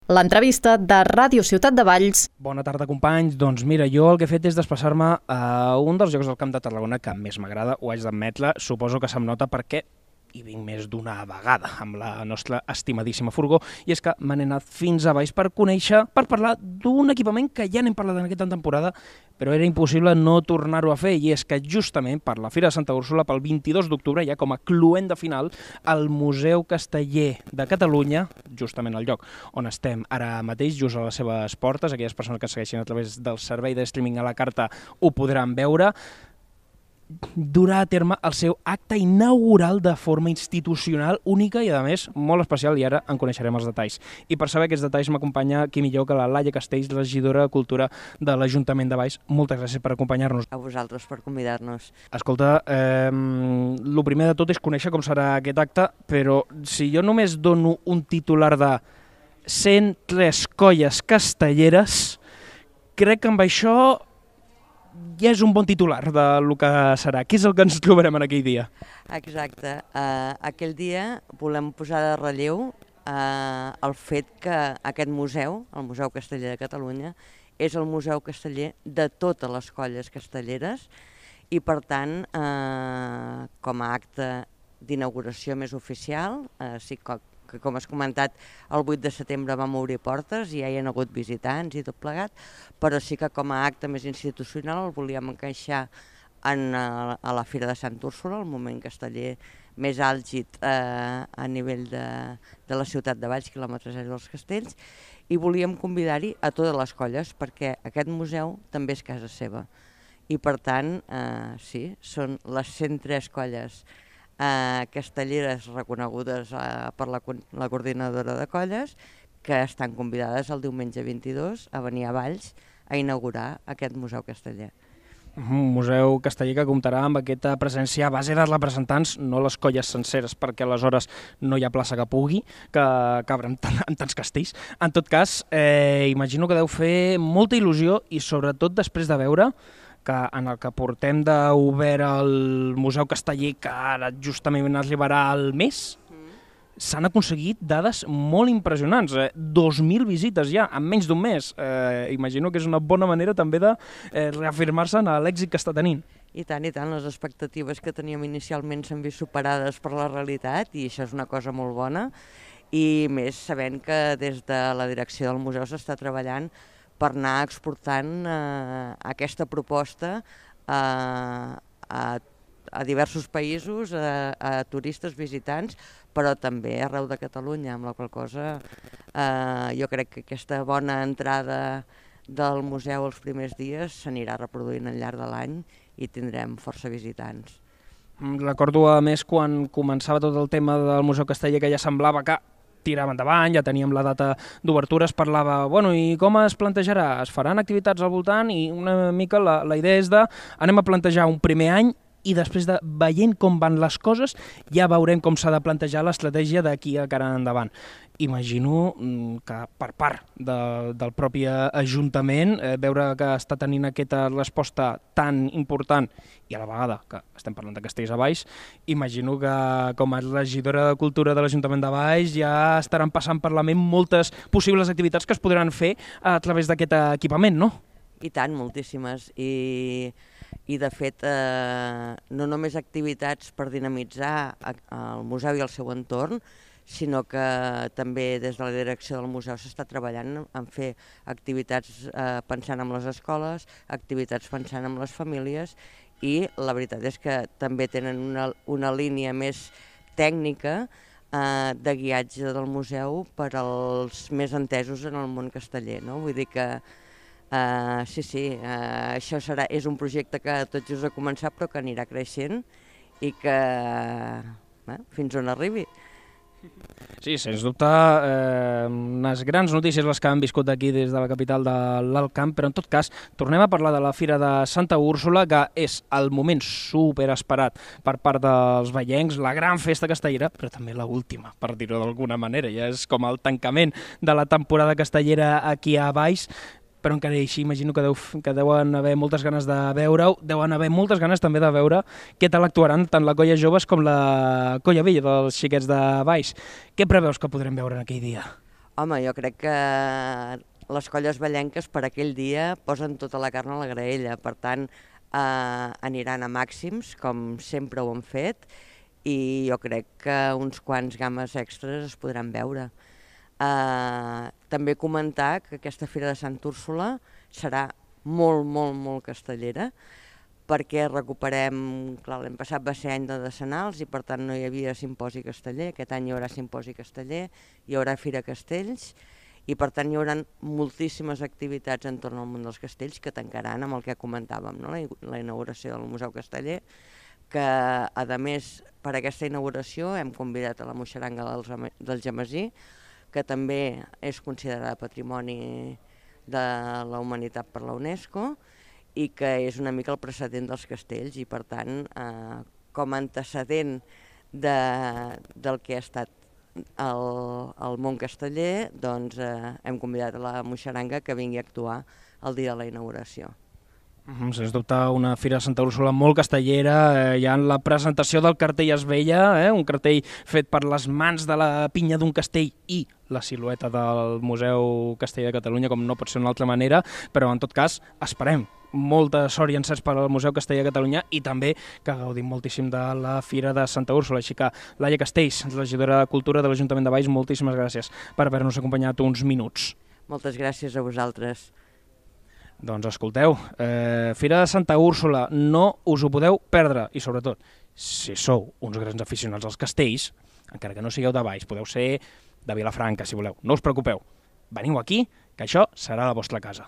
L'entrevista de Ràdio Ciutat de Valls. Bona tarda, companys. Doncs mira, jo el que he fet és desplaçar-me a un dels llocs del Camp de Tarragona que més m'agrada, ho haig d'admetre. Suposo que se'm nota perquè hi vinc més d'una vegada amb la nostra estimadíssima furgó, i és que me n'he anat fins a baix per conèixer, per parlar d'un equipament que ja n'hem parlat en aquesta temporada, però era impossible no tornar-ho a fer, i és que justament per la Fira de Santa Úrsula, pel 22 d'octubre, ja com a cloenda final, el Museu Casteller de Catalunya, justament al lloc on estem ara mateix, just a les seves portes, aquelles persones que segueixin a través del servei de streaming a la carta ho podran veure, durà a terme el seu acte inaugural de forma institucional única i, a més, molt especial, i ara en coneixerem els detalls. I per saber aquests detalls m'acompanya qui millor que la Laia Castells, regidora de Cultura de l'Ajuntament de Valls. Moltes gràcies per acompanyar-nos. A vosaltres per convidar-nos. Escolta, el primer de tot és conèixer com serà aquest acte, però si jo només dono un titular de 103 colles castelleres, crec que amb això ja és un bon titular del que serà. Què és el que ens trobarem en aquell dia? Exacte. Aquell dia volem posar de relleu el fet que aquest museu, el Museu Casteller de Catalunya, és el museu casteller de totes les colles castelleres i, per tant, com a acte d'inauguració més oficial, sí que, com has comentat, el 8 de setembre vam obrir portes i ja hi ha hagut visitants i tot plegat, però sí que com a acte més institucional el volíem encaixar a la Fira de Sant Úrsula, el moment casteller més àlgid a nivell de la ciutat de Valls, quilòmetre zero dels castells, i volíem convidar-hi a totes les colles perquè aquest museu també és casa seva. I per tant, sí, són les 103 colles castelleres reconegudes per la coordinadora de colles que estan convidades el diumenge 22 a venir a Valls a inaugurar aquest Museu Casteller. Un museu casteller que comptarà amb aquesta presència a base de representants, no les colles senceres, perquè aleshores no hi ha plaça que pugui, que cabre en tants castells. En tot cas, imagino que deu fer molta il·lusió i sobretot després de veure que en el que portem d'obert el Museu Casteller, que ara justament arribarà al mes, s'han aconseguit dades molt impressionants. 2.000 visites ja, en menys d'un mes. Imagino que és una bona manera també de reafirmar-se en l'èxit que està tenint. I tant, les expectatives que teníem inicialment s'han vist superades per la realitat i això és una cosa molt bona. I més sabent que des de la direcció del museu s'està treballant per anar exportant aquesta proposta a diversos països, a turistes visitants, però també arreu de Catalunya, amb la qual cosa jo crec que aquesta bona entrada del museu els primers dies s'anirà reproduint al llarg de l'any i tindrem força visitants. Recordo, a més, quan començava tot el tema del Museu Casteller, que ja semblava que tirava endavant, ja teníem la data d'obertura, es parlava, bueno, i com es plantejarà? Es faran activitats al voltant? I una mica la idea és de anem a plantejar un primer any i després de veient com van les coses ja veurem com s'ha de plantejar l'estratègia d'aquí a cara endavant. Imagino que per part del propi Ajuntament veure que està tenint aquesta resposta tan important i a la vegada que estem parlant de Castells a Valls, imagino que com a regidora de Cultura de l'Ajuntament de Valls ja estaran passant per la ment moltes possibles activitats que es podran fer a través d'aquest equipament, no? I tant, moltíssimes. I de fet, no només activitats per dinamitzar el museu i el seu entorn, sinó que també des de la direcció del museu s'està treballant en fer activitats pensant en les escoles, activitats pensant en les famílies, i la veritat és que també tenen una línia més tècnica de guiatge del museu per als més entesos en el món casteller, no? Vull dir que sí, això és un projecte que tot just ha començat però que anirà creixent i que fins on arribi. Sí, sens dubte, unes grans notícies les que han viscut aquí des de la capital de l'Alt Camp, però en tot cas tornem a parlar de la Fira de Santa Úrsula, que és el moment superesperat per part dels vallencs, la gran festa castellera, però també l'última, per dir-ho d'alguna manera, ja és com el tancament de la temporada castellera aquí a Valls. Però encara així imagino que deuen haver moltes ganes de veure-ho, deuen haver moltes ganes també de veure què tal actuaran tant la colla joves com la colla vella dels xiquets de Valls. Què preveus que podrem veure en aquell dia? Home, jo crec que les colles ballenques per aquell dia posen tota la carn a la graella, per tant aniran a màxims, com sempre ho han fet, i jo crec que uns quants games extras es podran veure. També comentar que aquesta Fira de Sant Úrsula serà molt castellera, perquè recuperem, clar, l'any passat va ser any de decenals i per tant no hi havia simposi casteller, aquest any hi haurà simposi casteller, hi haurà Fira Castells i per tant hi haurà moltíssimes activitats entorn al món dels castells que tancaran amb el que comentàvem, no? La inauguració del Museu Casteller, que a més per aquesta inauguració hem convidat a la Moixeranga del Gemesí, que també és considerada Patrimoni de la Humanitat per la UNESCO, i que és una mica el precedent dels castells i per tant com a antecedent del que ha estat el món casteller, doncs hem convidat a la Moixeranga que vingui a actuar el dia de la inauguració. Sens dubte una Fira de Santa Úrsula molt castellera, hi ha la presentació del cartell es veia, un cartell fet per les mans de la pinya d'un castell i la silueta del Museu Casteller de Catalunya, com no pot ser d'una altra manera, però en tot cas esperem molta sort i encerts per al Museu Casteller de Catalunya i també que gaudim moltíssim de la Fira de Santa Úrsula. Així que Laia Castells, regidora de Cultura de l'Ajuntament de Valls, moltíssimes gràcies per haver-nos acompanyat uns minuts. Moltes gràcies a vosaltres. Doncs escolteu, Fira de Santa Úrsula, no us ho podeu perdre i sobretot, si sou uns grans aficionats als castells, encara que no sigueu de Valls, podeu ser de Vilafranca si voleu, no us preocupeu, veniu aquí, que això serà la vostra casa.